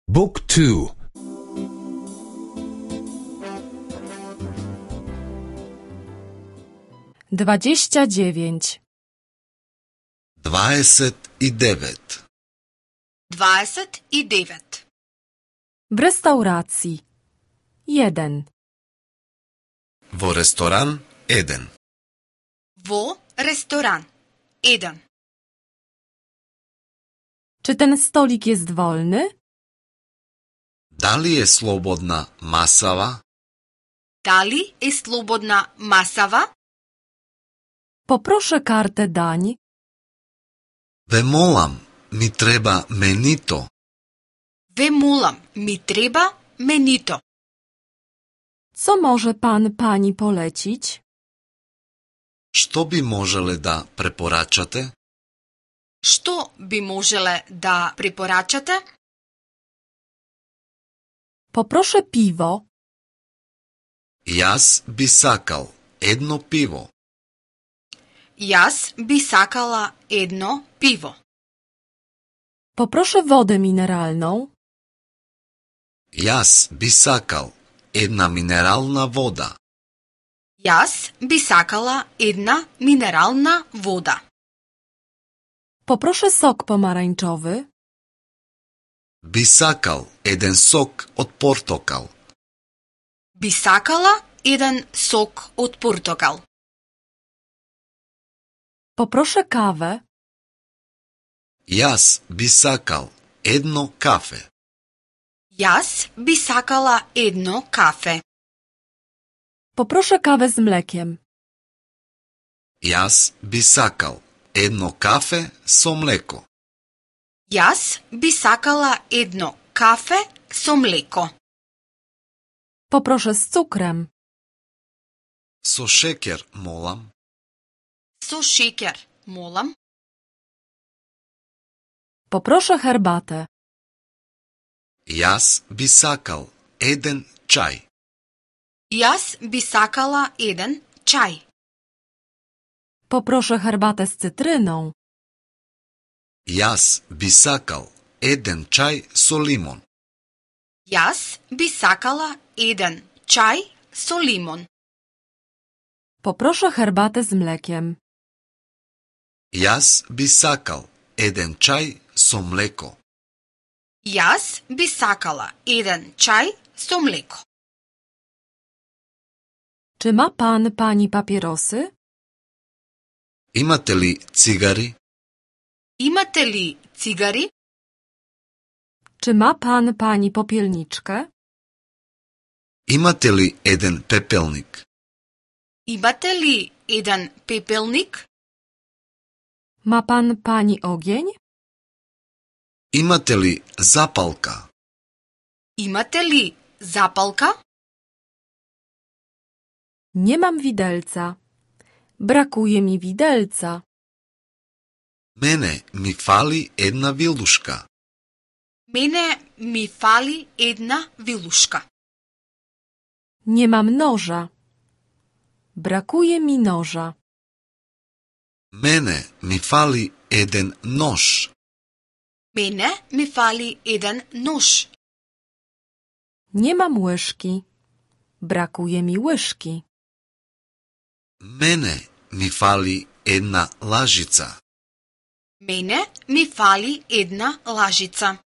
Book 2. 29. 29. 29. W restauracji. 1. Во ресторан 1. Во ресторан 1. Czy ten stolik jest wolny? Дали е слободна масава? Дали е слободна масава? Poproszę kartę dań. Ве молам, ми треба менито. Ве молам, ми треба менито. Co może pan pani polecić? Што би можеле да препорачате? Што би можеле да препорачате? Poproszę piwo. Јас би сакал едно пиво. Јас би сакала едно пиво. Poproszę wodę mineralną. Јас би сакал една минерална вода. Јас би сакала една минерална вода. Poproszę sok pomarańczowy. Би сакал еден сок од портокал. Би сакала еден сок од портокал. Poproszę kawę. Јас би сакал едно кафе. Јас би сакала едно кафе. Poproszę kawę z mlekiem. Јас би сакал едно кафе со млеко. Јас би сакала едно кафе со млеко. Poproszę z cukrem. Со шекер, молам. Со шекер, молам. Poproszę herbatę. Јас би сакал еден чај. Јас би сакала еден чај. Poproszę herbatę z cytryną. Јас би сакал еден чај со лимон. Јас би сакала еден чај со лимон. Poproszę herbatę z mlekiem. Јас би сакал еден чај со млеко. Јас би сакала еден чај со млеко. Czy ma pan pani papierosy? Имате ли цигари? Имате ли цигари? Czy ma pan pani popielniczkę? Имате ли еден пепелник? Имате ли еден пепелник? Ma pan pani ogień? Имате ли запалка? Имате ли запалка? Nie mam widelca. Brakuje mi widelca. Мене ми фали една вилушка. Мене ми фали една вилушка. Nie mam noża. Brakuje mi noża. Мене ми фали еден нож. Мене ми фали еден нож. Nie mam łyżki. Brakuje mi łyżki. Мене ми фали една лажица. Мене ми фали една лажица.